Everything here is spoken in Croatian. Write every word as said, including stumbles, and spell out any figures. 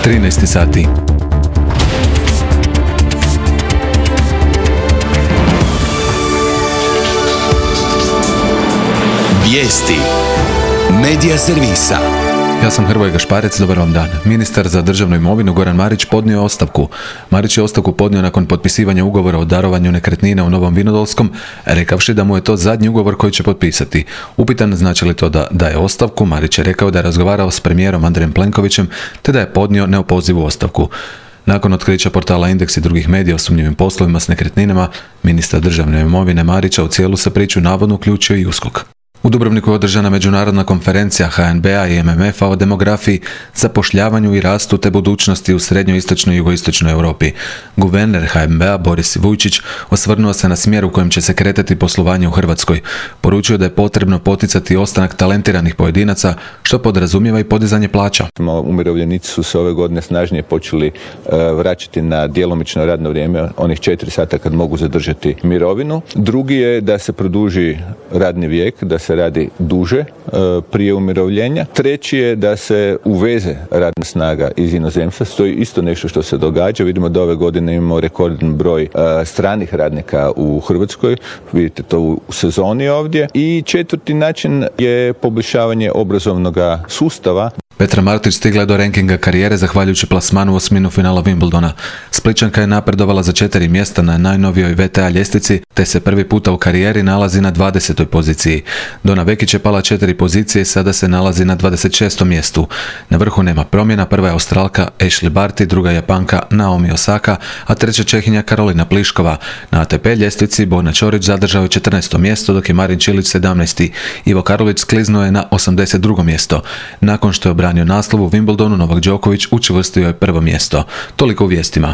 trinaest sati. Vijesti Medija servisa. Ja sam Hrvoje Gašparec, dobar vam dan. Ministar za državnu imovinu Goran Marić podnio je ostavku. Marić je ostavku podnio nakon potpisivanja ugovora o darovanju nekretnina u Novom Vinodolskom, rekavši da mu je to zadnji ugovor koji će potpisati. Upitan znači li to da daje ostavku, Marić je rekao da je razgovarao s premijerom Andrejem Plenkovićem te da je podnio neopozivu ostavku. Nakon otkrića portala Indeks i drugih medija o sumnjivim poslovima s nekretninama, ministar državne imovine Marića u cijelu se priču navodno uključio i U S K O K. U Dubrovniku je održana međunarodna konferencija H N B A i M M F-a o demografiji, zapošljavanju i rastu te budućnosti u srednjoistočnoj i jugoistočnoj Europi. Guverner H N B A Boris Vujčić osvrnuo se na smjer u kojem će se kretati poslovanje u Hrvatskoj. Poručio da je potrebno poticati ostanak talentiranih pojedinaca, što podrazumijeva i podizanje plaća. Umirovljenici su se ove godine snažnije počeli vraćati na djelomično radno vrijeme, onih četiri sata kad mogu zadržati mirovinu. Drugi je da se produži radni vijek, da se radi duže prije umirovljenja. Treći je da se uveze radna snaga iz inozemstva. To je isto nešto što se događa. Vidimo da ove godine imamo rekordan broj stranih radnika u Hrvatskoj. Vidite to u sezoni ovdje. I četvrti način je poboljšavanje obrazovnog sustava. Petra Martić stigla je do rankinga karijere zahvaljujući plasmanu u osminu finala Wimbledona. Splićanka je napredovala za četiri mjesta na najnovijoj V T A ljestvici, te se prvi puta u karijeri nalazi na dvadesetoj poziciji. Dona Vekić je pala četiri pozicije i sada se nalazi na dvadeset šestom mjestu. Na vrhu nema promjena, prva je Australka Ashley Barty, druga Japanka Naomi Osaka, a treća Čehinja Karolina Pliškova. Na A T P ljestvici Borna Ćorić zadržao je četrnaesto mjesto, dok je Marin Čilić sedamnaesti. Ivo Karlović skliznuo je na osamdeset drugo mjesto. Nakon što je obranio naslov u Wimbledonu, Novak Đoković učvrstio je prvo mjesto. Toliko u vijestima.